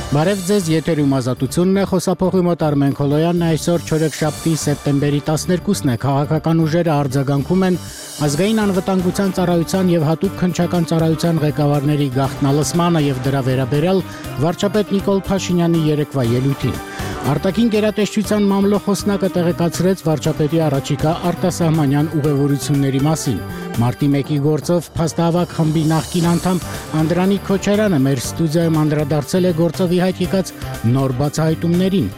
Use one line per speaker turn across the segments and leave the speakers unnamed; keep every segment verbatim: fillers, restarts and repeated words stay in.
Բարև ձեզ, եթերում Ազատությունն է, խոսափողի մոտ Արմեն Քոլոյանն է, այսօր չորեքշաբթի սեպտեմբերի տասներկուսն է, քաղաքական ուժերը արձագանքում են ազգային անվտանգության ծառայության եւ հատուկ քննչական ծառայության ղեկավարների գաղտնալսմանը եւ դրա վերաբերյալ վարչապետ Նիկոլ Փաշինյանի երեկվա ելույթին։ Արտաքին գերատեսչության մամլոխոսնակը տեղեկացրեց վարչապետի առաջիկա արտասահմանյան ուղևորությունների մասին։ Մարտի մեկի գործով փաստահավաք խմբի նախկին անդամ Անդրանիկ Քոչարյանը մեր ստուդիայում անդրադարձել է գործովի հայտ եկած նոր բացահայտումներին։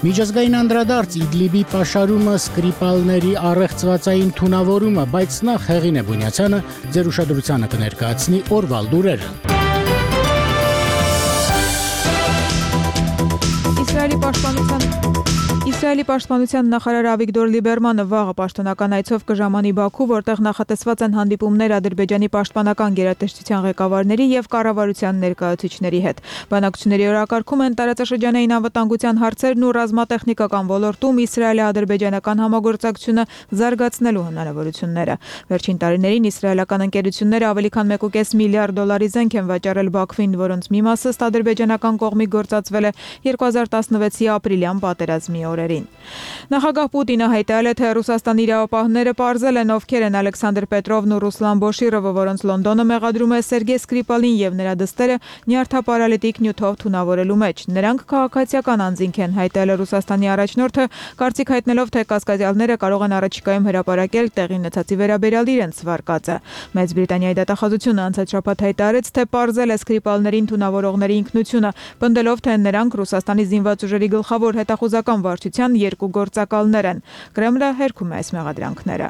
Միջազգային անդրադարձ Իդլիբի պաշարումը, սկրիպալների առեղծվածային թունավորումը, բայց նախ Հեղինե Բունյացյանը ձեր ուշադրությանը կներկայացնի օրվա լուրերը։
Իսրայելի պաշտպանության Իսրայելի պաշտպանության նախարար Ավիգդոր Լիբերմանը վաղը պաշտոնական այցով կժամանի Բաքու, որտեղ նախատեսված են հանդիպումներ Ադրբեջանի պաշտպանական գերատեսչության ղեկավարների եւ կառավարության ներկայացուցիչների հետ։ Բանակցությունների օրակարգում են տարածաշրջանային անվտանգության հարցերն ու ռազմատեխնիկական ոլորտում իսրայելի-ադրբեջանական համագործակցությունը զարգացնելու հնարավորությունները։ Վերջին տարիներին իսրայելական ընկերությունները ավելի քան մեկ կես միլիարդ դոլարի զենք են վաճառել Բաքվին, որոնց մի մասը ըստ ադրբեջանական կողմի գործածվել է երկու հազար տասնվեցի ապրիլյան պատերազմի օրերին։ Նախագահ Պուտինը հայտարարել է, թե Ռուսաստանի իրավապահները պարզել են ովքեր են Ալեքսանդր Պետրովն ու Ռուսլան Բոշիրովը, որոնց Լոնդոնը մեղադրում է Սերգեյ Սկրիպալին եւ նրա դստերը նյարդապարալիտիկ նյութով թունավորելու մեջ։ Նրանք քաղաքացիական անձինք են, հայտարարել է Ռուսաստանի առաջնորդը, կարծիք հայտնելով, թե կասկածյալները կարող են առաջիկայում հրապարակել տեղի ունեցածի վերաբերյալ իրենց վարկածը։ Մեծ Բրիտանիայի դատախազությունը անցած շաբաթ հայտարարեց, թե պարզել է Սկրիպալներին թունավորողների ինքնությունը, պնդելով, թե նրանք Ռուսաստանի զինված ուժերի գլխավոր հետախուզական վարչության երկու գործակալներ են։ Կրեմլը հերքում է այս մեղադրանքները։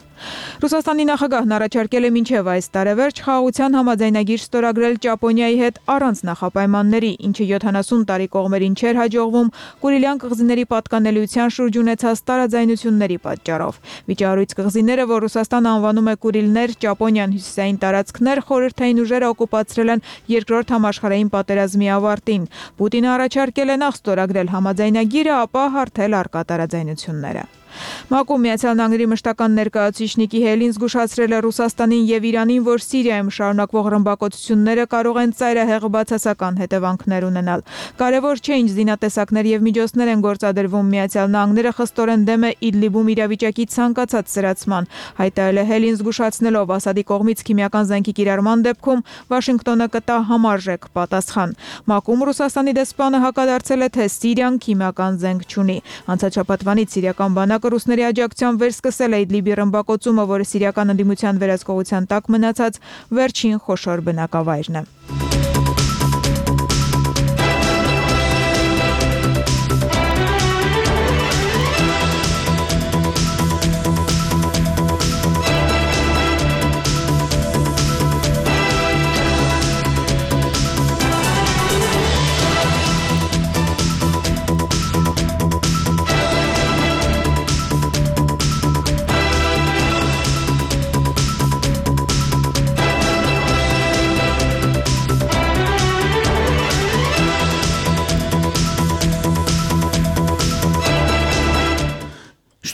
Ռուսաստանի նախագահն առաջարկել է մինչև այս տարեվերջ խաղաղության համաձայնագիր ստորագրել Ճապոնիայի հետ առանց նախապայմանների, ինչը յոթանասուն տարի կողմերին չէր հաջողվում Կուրիլյան կղզիների պատկանելիության շուրջ ունեցած տարաձայնությունների պատճառով։ Վիճահարույց կղզիները, որ Ռուսաստանը անվանում է Կուրիլներ, Ճապոնիան հյուսիսային տարածքներ, խորհրդային ուժերը օկուպացրել են երկրորդ համաշխարհային պատերազմի ավարտին։ Պուտինը առաջարկել է նախ ստորագրել համաձայնագիրը, ապա հարթել առկա տարաձայնությունները։ ՄԱԿ-ում Միացյալ Նահանգների մշտական ներկայացուցիչ Նիկի Հեյլին զգուշացրել է Ռուսաստանին եւ Իրանին, որ Սիրիայում շարունակվող ռմբակոծությունները կարող են ծայրահեղ բացասական հետևանքներ ունենալ։ Կարևոր չէ ինչ զինատեսակներ եւ միջոցներ են գործադրվում, Միացյալ Նահանգները խստորեն դեմ է Իդլիբում իրավիճակի ցանկացած սրացման, հայտարարել է Հեյլին, զգուշացնելով Ասադի կողմից քիմիական զենքի կիրառման դեպքում Վաշինգտոնը կտա համարժեք պատասխան։ ՄԱԿ-ում Ռուսաստանի դեսպանը հակադարձել է, թե Սիրիան քիմիական զենք չունի։ Անցած շաբաթվանից սիրիական բանակը ռուսների աջակցությամբ վերսկսել է Իդլիբի ռմբակոծումը, որը սիրիական ընդդիմության վերահսկողության տակ մնացած վերջին խոշոր բնակավայրն է։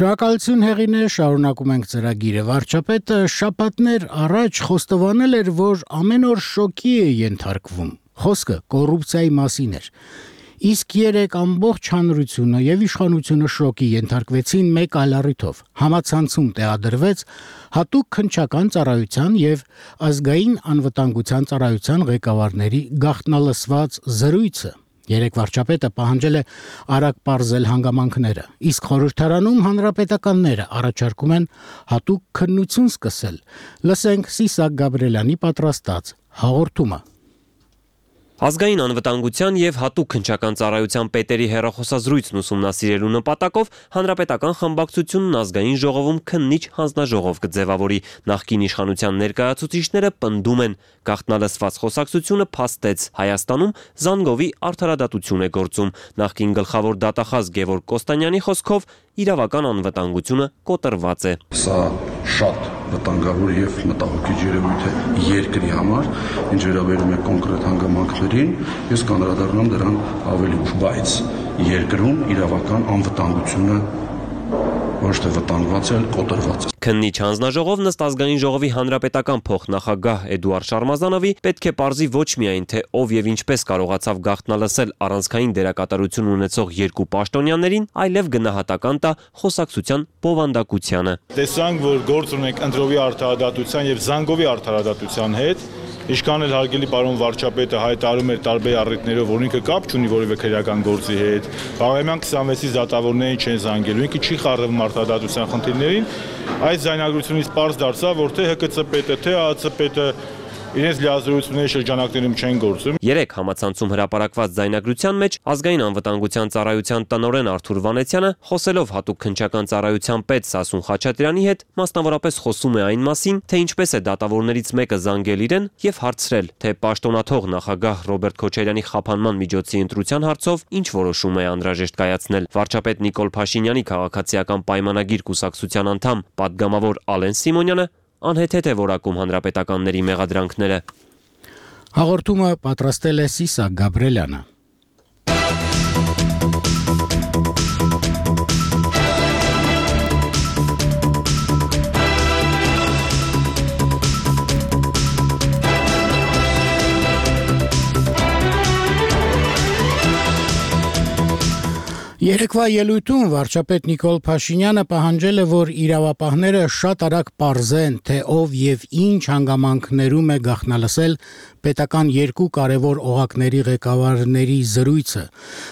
Շնորհակալություն Հեղինե, շարունակում ենք ծրագիրը։ Վարչապետը շաբաթներ առաջ խոստովանել էր, որ ամեն օր շոկի է ենթարկվում։ Խոսքը կոռուպցիայի մասին էր։ Իսկ երեք ամբողջ հանրությունը եւ իշխանությունը շոկի ենթարկվեցին մեկ այլ առիթով։ Համացանցում տեղադրվեց հատուկ քննչական ծառայության եւ ազգային անվտանգության ծառայության ղեկավարների գաղտնալսված զրույցը։ Երեք վարչապետը պահանջել է արագ պարզել հանգամանքները, իսկ խորհրդարանում հանրապետականները առաջարկում են հատուկ քննություն սկսել։ Լսենք Սիսակ Գաբրելյանի պատրաստած հաղորդումը։
Ազգային անվտանգության եւ հատուկ քննչական ծառայության պետերի հեռախոսազրույցն ուսումնասիրելու նպատակով հանրապետական խմբակցությունն ազգային ժողովում քննիչ հանձնաժողով կձևավորի։ Նախկին իշխանության ներկայացուցիչները պնդում են, գաղտնալսված խոսակցությունը փաստեց Հայաստանում Զանգովի արդարադատություն է գործում։ Նախկին գլխավոր դատախազ Գևորգ Կոստանյանի խոսքով իրավական անվտանգությունը կոտրված է։
Սա շատ վտանգավոր եւ մտահոգիչ երևույթ է երկրի համար, ինչ վերաբերում է կոնկրետ հանգամանքներին, ես կանդրադառնամ դրան ավելի ուշ, բայց երկրում իրավական անվտանգությունը ոչ թե վտանգված, այլ կոտրված է։
Քննիչ հանձնաժողովն ըստ ազգային ժողովի հանրապետական փոխնախագահ Էդուարդ Շարմազանովի պետք է պարզի ոչ միայն թե ով եւ ինչպես կարողացավ գաղտնալսել առանցքային դերակատարություն ունեցող երկու պաշտոնյաներին, այլև գնահատական տա խոսակցության բովանդակությանը։
Տեսանք, որ գործ ունենք ընտրովի արդարադատության եւ զանգովի արդարադատության հետ, ինչքան էլ հարգելի պարոն վարչապետը հայտարարում էր տարբեր առիթներով, որ ինքը կապ չունի որևէ քրեական գործի հետ, Բաղրամյան քսանվեցից դատավորներին չեն զանգելու, ինքը չի խառնվում արդարադատության խնդիրներին, այս ձայնագրությունից պարզ դարձավ, որ թե Հ Կ Ց պետը, թե Ա Ց պետը իրենց լիազորությունների շրջանակներում չեն գործում։
Երեք համացանցում հրապարակված ձայնագրության մեջ ազգային անվտանգության ծառայության տնօրեն Արթուր Վանեցյանը, խոսելով հատուկ քննչական ծառայության պետ Սասուն Խաչատրյանի հետ, մասնավորապես խոսում է այն մասին, թե ինչպես է դատավորներից մեկը զանգել իրեն եւ հարցրել, թե պաշտոնաթող նախագահ Ռոբերտ Քոչարյանի խափանման միջոցի ընտրության հարցով ինչ որոշում է անհրաժեշտ կայացնել։ Վարչապետ Նիկոլ Փաշինյանի քաղաքացիական պայմանագիր կուսակցության անդամ պատգամավոր Ալեն Սիմոնյանը անհեթեթ է որակում հանրապետականների մեղադրանքները։
Հաղորդումը պատրաստել է Սիսակ Գաբրելյանը։ Երեկվա ելույթում վարչապետ Նիկոլ Փաշինյանը պահանջել է, որ իրավապահները շատ արագ պարզեն, թե ով եւ ինչ հանգամանքներում է գաղտնալսել պետական երկու կարևոր օղակների ղեկավարների զրույցը։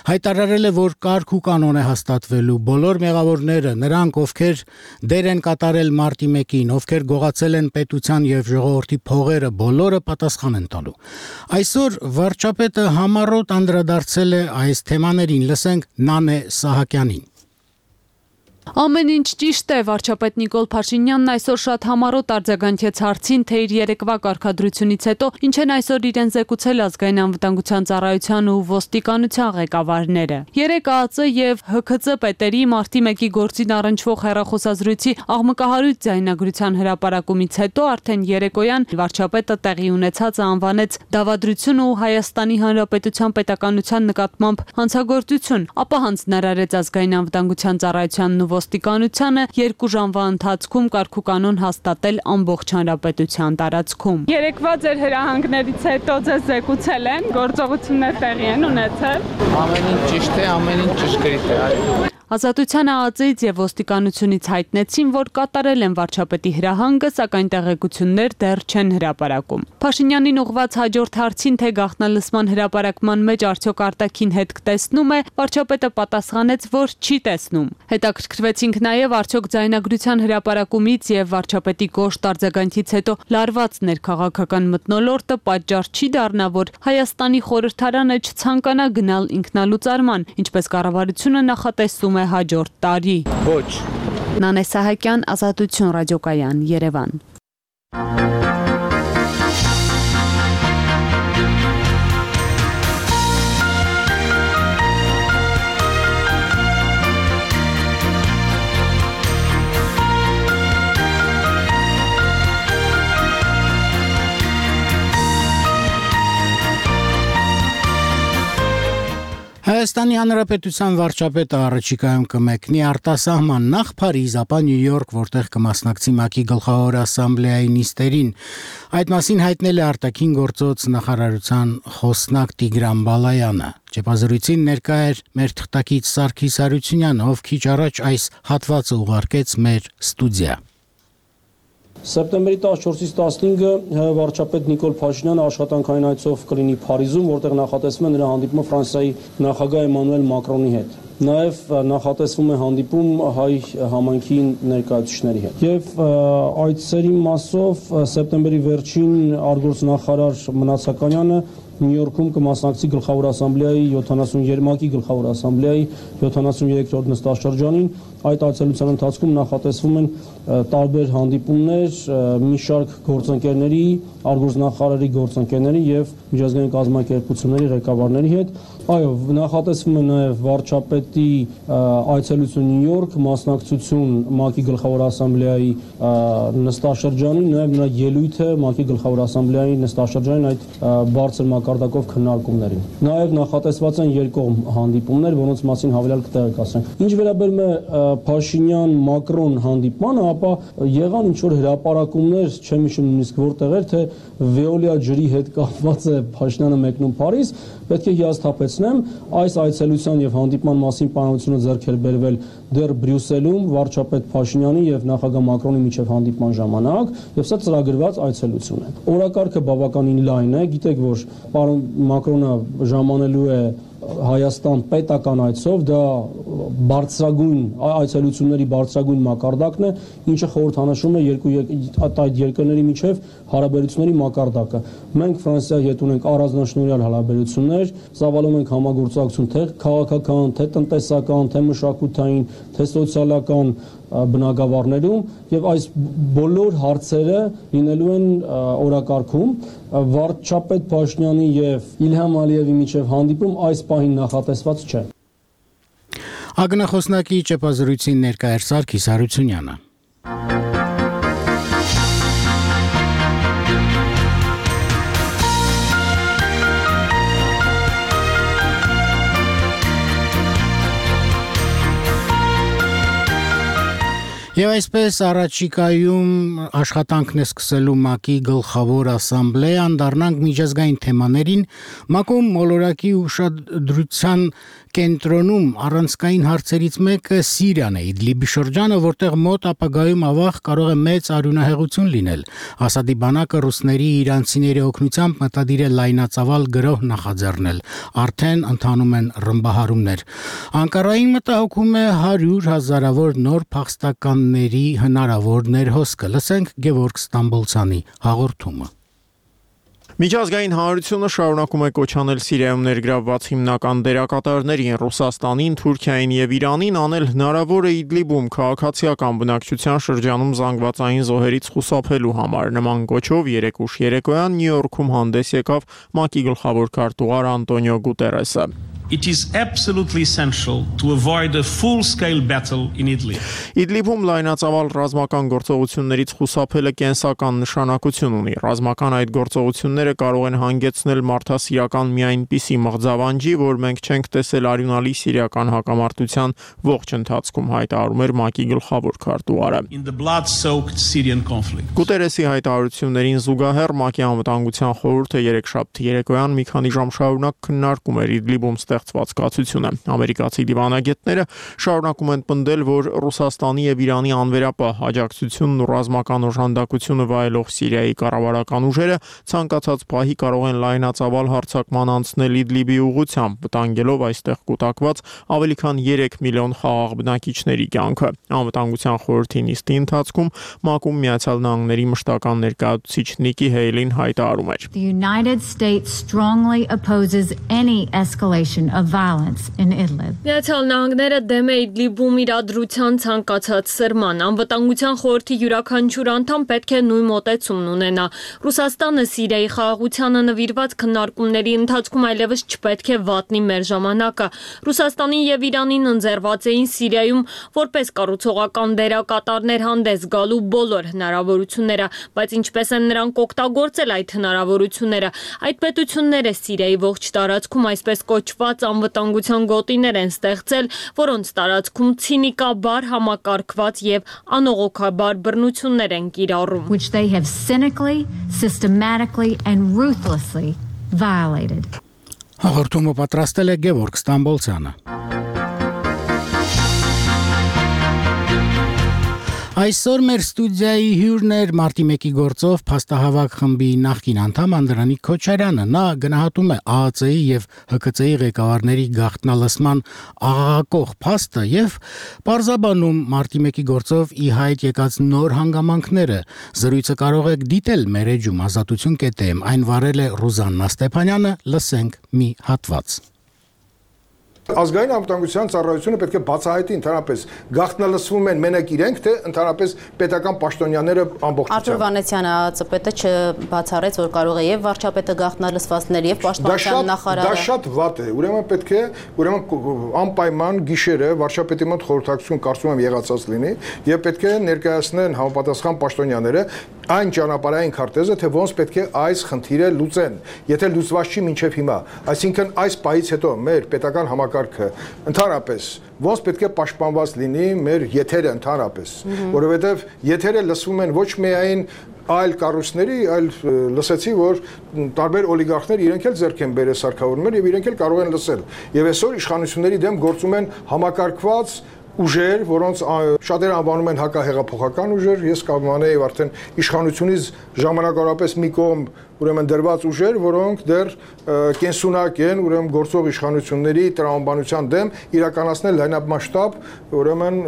Հայտարարել է, որ կարգ ու կանոն է հաստատվելու, բոլոր մեղավորները, նրանք, ովքեր դեր են կատարել մարտի մեկին, ովքեր գողացել են պետության եւ ժողովրդի փողերը, բոլորը պատասխան են տալու։ Այսօր վարչապետը համառոտ անդրադարձել է այս թեմաներին, լսենք Նանե Սահակյանին։
Ամեն ինչ ճիշտ է, վարչապետ Նիկոլ Փաշինյանն այսօր շատ համառոտ արձագանքեց հարցին, թե իր երեկվա կարգադրությունից հետո ինչ են այսօր իրեն զեկուցել ազգային անվտանգության ծառայության ու ոստիկանության ղեկավարները։ Երեք Ա Ծ եւ Հ Ք Ծ պետերի մարտի մեկի գործին առնչվող հեռախոսազրույցի աղմկահարույց ձայնագրության հրապարակումից հետո արդեն երեկոյան վարչապետը տեղի ունեցածը անվանեց դավադրություն ու Հայաստանի Հանրապետության պետականության նկատմամբ հանցագործություն, ապա հանձնարարեց ազգային անվտանգության ծառայությանն ու ոստիկանությանը երկու ժամվա ընթացքում կարգուկանոն հաստատել ամբողջ հանրապետության տարածքում։
Երեկվա ձեր հրահանգներից հետո ձեզ զեկուցել են, գործողություններ տեղի են ունեցել։
Ամեն ինչ ճիշտ է, ամեն ինչ ճշգրիտ է։
Ազատության Ա Ծ Ից եւ ոստիկանությունից հայտնեցին, որ կատարել են վարչապետի հրահանգը, սակայն տեղեկություններ դեռ չեն հրապարակում։ Փաշինյանին ուղղված հաջորդ հարցին, թե գաղտնալսման հրապարակման մեջ արդյոք արտաքին հետք տեսնում է, վարչապետը պատասխանեց, որ չի տեսնում։ Հետաքրքրվեցինք նաեւ արդյոք ձայնագրության հրապարակումից եւ վարչապետի կոշտ արձագանքից հետո լարված ներքաղաքական մթնոլորտը պատճառ չի դառնա, որ Հայաստանի խորհրդարանը չցանկանա գնալ ինքնալուծարման, ինչպես կառավարությունը նախատեսում է հաջորդ տարի։
Ոչ։
Նանե Սահակյան, Ազատություն ռադիոկայան, Երևան։
Հայաստանի Հանրապետության վարչապետը առաջիկայում կմեկնի արտասահման նախ Փարիզ, ապա Նյու Յորք, որտեղ կմասնակցի ՄԱԿ-ի գլխավոր ասամբլեայի նիստերին։ Այդ մասին հայտնել է արտաքին գործոց նախարարության խոսնակ Տիգրան Բալայանը։ Ճեպազրույցին ներկա էր մեր թղթակից Սարգիս Հարությունյանը, ով քիչ առաջ այս հատվածը ուղարկեց մեր ստուդիա։
Սեպտեմբերի տասնչորսից տասնհինգը վարչապետ Նիկոլ Փաշինյանը աշխատանքային այցով կլինի Փարիզում, որտեղ նախատեսվում է նրա հանդիպումը Ֆրանսիայի նախագահ Էմանուել Մակրոնի հետ։ Նաև նախատեսվում է հանդիպում հայ համայնքի ներկայացուցիչների հետ։ Եվ այցերի մասով սեպտեմբերի վերջին արտգործնախարար Մնացականյանը Նյու Յորքում կմասնակցի գլխավոր ասամբլեայի յոթանասուներեք ՄԱԿ-ի գլխավոր ասամբլեայի յոթանասուներորդ նստաշրջանին։ Այդ այցելության ընթացքում նախատեսվում են տարբեր հանդիպումներ մի շարք գործընկերների, արտգործնախարարի գործընկերների եւ միջազգային կազմակերպությունների ղեկավարների հետ։ Այո, նախատեսվում է նաև վարչապետի այցելություն Նյու Յորք, մասնակցություն ՄԱԿ-ի գլխավոր ասամբլեայի նստաշրջանին, նաև նրա ելույթը ՄԱԿ-ի գլխավոր ասամբլեայի նստաշրջանին այդ բարձր մակարդակով քննարկումներին։ Նաև նախատեսված են երկկողմ հանդիպումներ, որոնց մասին հավելյալ կտեղեկացնենք։ Ինչ վերաբերում է Փաշինյան-Մակրոն հանդիպմանը, ապա եղան ինչ-որ հրապարակումներ, չեմ հիշում նույնիսկ որտեղ էր, թե Վեոլիա ջրի հետ կապված է Փաշինյանը մեկնում Փարիզ, պետք է հիասթափեցնեմ, այս այցելության եւ հանդիպման մասին պայմանությունը ձեռք էր բերվել դեռ Բրյուսելում վարչապետ Փաշինյանի եւ նախագահ Մակրոնի միջև հանդիպման ժամանակ, եւ սա ծրագրված այցելություն է։ Օրակարգը բավականին լայն է, գիտեք, որ պարոն Մակրոնը ժամանելու է Հայաստան պետական այցով, դա բարձրագույն այցելությունների բարձրագույն մակարդակն է, ինչը խորհրդանշում է երկու այդ երկրների միջև հարաբերությունների մակարդակը։ Մենք Ֆրանսիայի հետ ունենք առանձնաշնորհյալ հարաբերություններ, ծավալում ենք համագործակցություն թե քաղաքական, թե տնտեսական, թե մշակութային, թե սոցիալական բնագավառներում եւ այս բոլոր հարցերը լինելու են օրակարգում վարչապետ Փաշինյանի եւ Իլհամ Ալիևի միջև հանդիպում այս պահին նախատեսված չէ։
Ագնախոսնակի ճեպազրույցին ներկա էր Սարգիս Հարությունյանը։ Եվ այսպես առաջիկայում աշխատանքն է սկսելու ՄԱԿ-ի գլխավոր ասամբլեան, դառնանք միջազգային թեմաներին, ՄԱԿ-ում մոլորակի ուշադրության կենտրոնում առանցքային հարցերից մեկը Սիրիան է, Իդլիբի շրջանը, որտեղ մոտ ապագայում ավաղ կարող է մեծ արյունահեղություն լինել։ Ասադի բանակը ռուսների իրանցիների օգնությամբ մտադիր է լայնածավալ գրոհ նախաձեռնել, արդեն ընթանում են ռմբահարումներ։ Անկարային մտահոգում է հարյուր հազարավոր նոր փախստականների հնարավոր ներհոսքը։ Լսենք Գևորգ Ստամբոլցյանի հաղորդումը։
Միջազգային հանրությունը շարունակում է կոչանել Սիրիայում ներգրավված հիմնական դերակատարներին Ռուսաստանին, Թուրքիային եւ Իրանին անել հնարավոր է Իդլիբում քաղաքացիական բնակչության շրջանում զանգվածային զոհերից խուսափելու համար։ Նման կոչով երեկ ուշ երեկոյան Նյու Յորքում հանդես եկավ ՄԱԿ-ի գլխավոր քարտուղար Անտոնիո Գուտերեսը։
It is absolutely essential to avoid a full-scale battle in Idlib.
Իդլիբում լայնածավալ ռազմական գործողություններից խուսափելը կենսական նշանակություն ունի։ Ռազմական այդ գործողությունները կարող են հանգեցնել մարդասիրական մի այնպիսի մղձավանջի, որ մենք չենք տեսել արյունալի սիրիական հակամարտության ողջ ընթացքում, հայտարարում էր ՄԱԿ-ի գլխավոր քարտուղարը։
In the blood-soaked Syrian conflict.
Գուտերեսի հայտարարություններին զուգահեռ ՄԱԿ-ի անվտանգության խորհուրդը երեքշաբթի երեկոյան մի քանի ժամ շարունակ քննարկում էր Իդլիբում ստեղծված կացությունը։ Ամերիկացի դիվանագետները շարունակում են պնդել, որ Ռուսաստանի եւ Իրանի անվերապահ աջակցությունն ու ռազմական օժանդակությունը վայելող Սիրիայի կառավարական ուժերը ցանկացած պահի կարող են լայնածավալ հարձակման անցնել Իդլիբի ուղղությամբ, վտանգելով այստեղ կուտակված ավելի քան երեք միլիոն խաղաղ բնակիչների կյանքը։ Անվտանգության խորհրդի նիստի ընթացքում ՄԱԿ-ում Միացյալ Նահանգների մշտական ներկայացուցիչ Նիկի Հեյլին հայտարարում էր.
The United States strongly opposes any escalation of violence in Idlib.
Միացյալ Նահանգները դեմ է Իդլիբում իրադրության ցանկացած սրման։ Անվտանգության խորհրդի յուրաքանչյուր անդամ պետք է նույն մոտեցումն ունենա։ Ռուսաստանը Սիրիայի խաղաղությանը նվիրված քննարկումների ընթացքում այլևս չպետք է վատնի մեր ժամանակը։ Ռուսաստանին եւ Իրանին ընձեռված էին Սիրիայում որպես կառուցողական դերակատարներ հանդես գալու բոլոր հնարավորությունները, բայց ինչպես են նրանք օգտագործել այդ հնարավորությունները։ Այդ պետությունները Սիրիայի ողջ տարածքում այսպես կոչված անվտանգության գոտիներ են ստեղծել, որոնց տարածքում ցինիկաբար համակարգված եւ անողոքաբար բռնություններ են կիրառում,
which they have cynically, systematically and ruthlessly violated.
Հաղորդումը պատրաստել է Գևորգ Ստամբոլցյանը։ Այսօր մեր ստուդիայի հյուրն էր մարտի մեկի գործով փաստահավաք խմբի նախկին անդամ Անդրանիկ Քոչարյանը։ Նա գնահատում է ԱԱՑ-ի եւ ՀԿՑ-ի ղեկավարների գաղտնալսման աղաղակող փաստը եւ պարզաբանում մարտի մեկի գործով ի հայտ եկած նոր հանգամանքները։ Զրույցը կարող եք դիտել մեր էջում ազատություն կետ էմ, այն վարել է Ռուզաննա Ստեփանյանը, լսենք մի հատված։
Ազգային անվտանգության ծառայությունը պետք է բացահայտի ընդհանրապես գաղտնալսվում են մենակ իրենք, թե ընդհանրապես պետական պաշտոնյաները ամբողջությամբ։
Արտուր Վանեցյանը ԱԱՑ-պետը չբացառեց, որ կարող է եւ վարչապետը գաղտնալսվածներ եւ պաշտպանության նախարարը։
Դա շատ վատ է։ Ուրեմն պետք է, ուրեմն անպայման գիշերը վարչապետի մոտ խորհրդակցություն կարծում եմ եղածած լինի եւ պետք է ներկայացնեն համապատասխան պաշտոնյաները այն ճանապարհային քարտեզը, թե ոնց պետք է այս խնդիրը լուծեն, եթե լուծված չի մինչև հիմա։ Այսինքն այս պահից հետո մեր պետական համակարգը ընդհանրապես ոնց պետք է պաշտպանված լինի մեր եթերը ընդհանրապես, որովհետև եթերը լսվում են ոչ միայն այլ կառույցների, այլ լսեցի, որ տարբեր օլիգարխներ իրենք էլ ձեռք են բերել սարքավորումներ եւ իրենք էլ կարող են լսել։ Եվ այսօր իշխանությունների դեմ գործում են համակարգված ուժեր, որոնց շատերը անվանում են հակահեղափոխական ուժեր, ես կամենայի արդեն իշխանությունից ժամանակավորապես մի կողմ ուրեմն դրված ուժեր, որոնք դեռ կենսունակ են, ուրեմն գործող իշխանությունների տրամաբանության դեմ իրականացնել լայնամասշտաբ, ուրեմն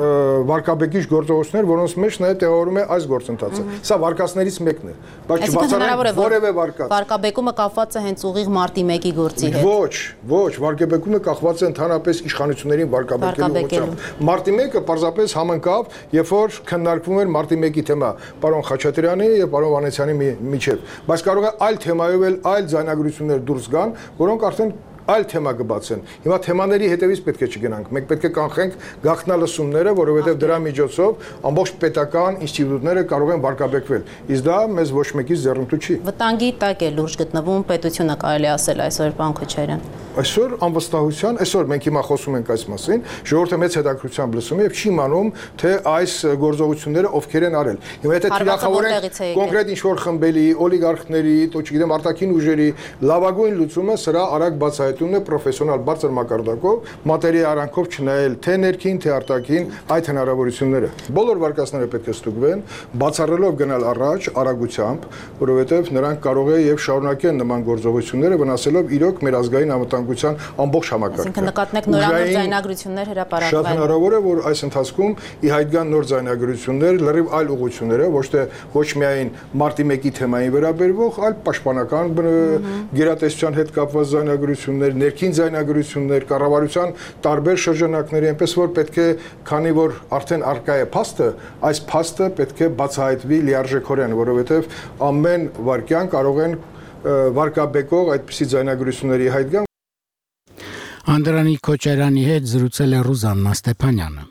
վարկաբեկիչ գործողություններ, որոնց մեջ նաև տեղավորում է այս գործընթացը։ Սա վարկածներից մեկն է, բայց չբացառենք որևէ վարկած։
Վարկաբեկումը կապված է հենց ուղիղ մարտի մեկի գործի հետ։
Ոչ, ոչ, վարկաբեկումը կախված է ընդհանրապես իշխանություններին վարկաբեկելու ուղղությամբ։ Մարտի մեկը պարզապես համընկավ, երբ որ քննարկվում էր մարտի մեկի թեմա, պարոն Խաչատրյանի եւ պարոն Վանեցյանի միջեւ, բայց կարող է այլ թեմայով էլ այլ ձայնագրություններ դուրս գան, որոնք արդեն այլ թեմա կբացեն։ Հիմա թեմաների հետևից պետք է չգնանք։ Մենք պետք է կանխենք գաղտնալսումները, որովհետև դրա միջոցով ամբողջ պետական ինստիտուտները կարող են վարկաբեկվել։ Իսկ դա մեզ ոչ մեկից ձեռնտու չի։
Վտանգի տակ է լուրջ գտնվում պետությունը, կարելի ասել այսօր, պարոն Քոչարյան։
Այսօր անվստահության, այսօր մենք հիմա խոսում ենք այս մասին, ժողովուրդը մեծ հետաքրքրությամբ լսում է եւ չի իմանում, թե այս գործողությունները ովքեր են արել։ Հիմա եթե թիրախավորենք կոնկրետ ինչ-որ խմբերի, օլիգարխների, то չգիտեմ, արտաքին ուժերի լավագույն լուծումը սրա արագ բացահայտումն է պրոֆեսիոնալ բարձր մակարդակով, մատերի արանքով չնայել թե ներքին, թե արտաքին այդ հնարավորությունները։ Բոլոր վարկածները պետք է ստուգվեն, բացառելով գնալ առաջ արագությամբ, որովհետեւ նրանք կարող է եւ շարունակեն նման գործողությունները վնասելով իրոք մեր ազգային անվտանգության ամբողջ համակարգը։
Այսինքն նկատենք նորանոր ձայնագրություններ հրապարակվել։
Շատ հնարավոր է, որ այս ընթացքում ի հայտ գան նոր ձայնագրություններ, լրիվ այլ ուղղություններով, ոչ թե ոչ միայն մարտի մեկի թեմային վերաբերվող, այլ պաշտպանական գերատեսչության հետ կապված ձայնագրություններ, ներքին ձայնագրություններ, կառավարության տարբեր շրջանակների, այնպես որ պետք է, քանի որ արդեն արկա է փաստը, այս փաստը պետք է բացահայտվի լիարժեքորեն, որովհետև ամեն վարքյան կարող են վարկաբեկող այդպիսի ձայնագրությունների հայտ գան։
Անդրանիկ Քոչարյանի հետ զրուցել է Ռուզաննա Ստեփանյանը։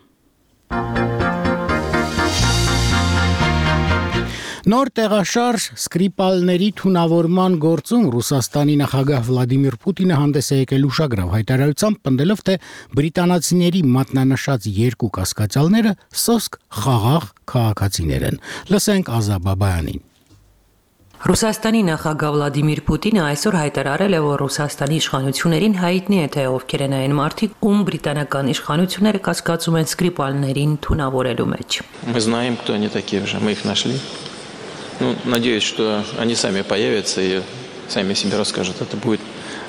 Նոր տեղաշարժ Սկրիպալների թունավորման գործում Ռուսաստանի նախագահ Վլադիմիր Պուտինը հանդես է եկել ուշագրավ հայտարարությամբ, պնդելով, թե բրիտանացիների մատնանշած երկու կասկածյալները սոսկ խաղաղ քաղաքացիներ են։ Լսենք Ազա Բաբայանին։
Ռուսաստանի նախագահ Վլադիմիր Պուտինը այսօր հայտարարել է, որ Ռուսաստանի իշխանություններին հայտնի է, թե ովքեր են այն մարդիկ, ում բրիտանական իշխանությունները կասկածում են Սկրիպալներին թունավորելու մեջ։
Мы знаем, кто они такие уже, мы их нашли. Ну, надеюсь, что они сами появятся и сами себе расскажут. Это будет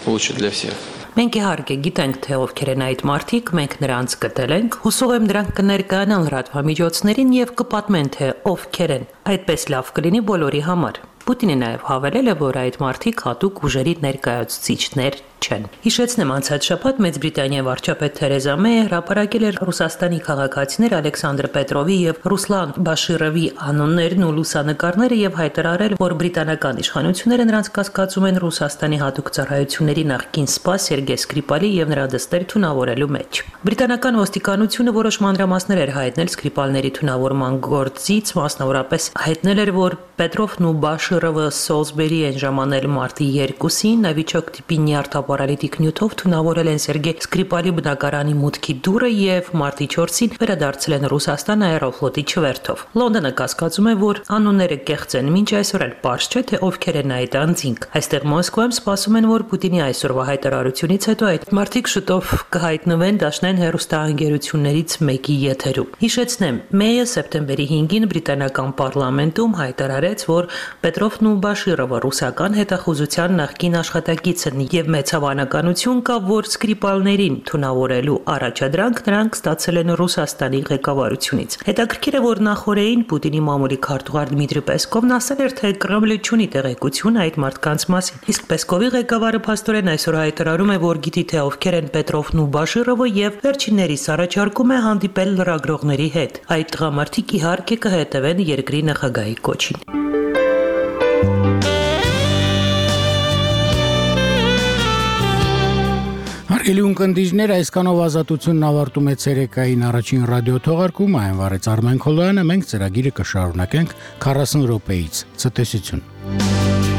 лучше для всех.
Մենք իհարկե գիտենք, թե ովքեր են այդ մարդիկ, մենք նրանց գտել ենք, հուսով եմ դրանք կներկայանան լրատվամիջոցներին եւ կպատմեն, թե ովքեր են։ Այդպես լավ կլինի բոլորի համար։ Պուտինը նաև հավելել է, որ այդ մարդիկ հատուկ ուժերի ներկայացուցիչներ չեն։ Հիշեցնեմ, անցած շաբաթ Մեծ Բրիտանիայի վարչապետ Թերեզա Մեյը հրապարակել էր Ռուսաստանի քաղաքացիներ Ալեքսանդր Պետրովի եւ Ռուսլան Բաշիրովի անուններն ու լուսանկարները եւ հայտարարել, որ բրիտանական իշխանությունները նրանց կասկածում են Ռուսաստանի հատուկ ծառայությունների նախկին սպա Սերգեյ Սկրիպալի եւ նրա դստեր թունավորելու մեջ։ Բրիտանական ոստիկանությունը որոշ մանրամասներ էր հայտնել Սկրիպալների թունավորման գործից, մասնավորապես հայտնել էր, որ Պետրովն ու Բաշիրովը Սոլսբերի են ժամանել մարտի երկուսին, նավիճոկ տիպի նյարդապարալիտիկ նյութով թունավորել են Սերգեյ Սկրիպալի բնակարանի մուտքի դուռը եւ մարտի չորսին վերադարձել են Ռուսաստան աերոֆլոտի չվերթով։ Լոնդոնը կասկածում է, որ անունները կեղծ են, մինչ այսօր էլ պարզ չէ, թե ովքեր են այդ անձինք։ Այստեղ Մոսկվայում սպասում են, որ Պուտինի այսօրվա հայտարարությունից հետո այդ մարդիկ շուտով կհայտնվեն դաշնային հեռուստաընկերություններից մեկի եթերում։ Հիշեցնեմ, Մեյը սեպտեմբերի հինգին բրիտանական պարլամենտում հայտարարեց, որ Պետրովն ու Բաշիրովը ռուսական հետախուզության նախկին աշխատակից են եւ մեծ հավանականություն կա, որ Սկրիպալներին թունավորելու առաջադրանք նրանք ստացել են Ռուսաստանի ղեկավարությունից։ Հետաքրքիր է, որ նախորդին Պուտինի մամուլի քարտուղար Դմիտրի Պեսկովն ասել էր, թե Կրեմլը չունի տեղեկություն այդ մարդկանց մասին։ Իսկ Պեսկովի ղեկավարը փաստորեն այսօր հայտարարում է, որ գիտի, թե ովքեր են Պետրովն ու Բաշիրովը եւ վերջիններիս առաջարկում է հանդիպել լրագրողների հետ։ Այդ տղամարդիկ իհարկե կհետևեն երկրի նախագահի կոչին։
Հարգելի ունկնդիրներ, այսքանով ազատությունն ավարտում է ցերեկային առաջին ռադիոթողարկումը, այն վարեց Արմեն Քոլոյանը, մենք ծրագիրը կշարունակենք քառասուն րոպեից։ Ցտեսություն։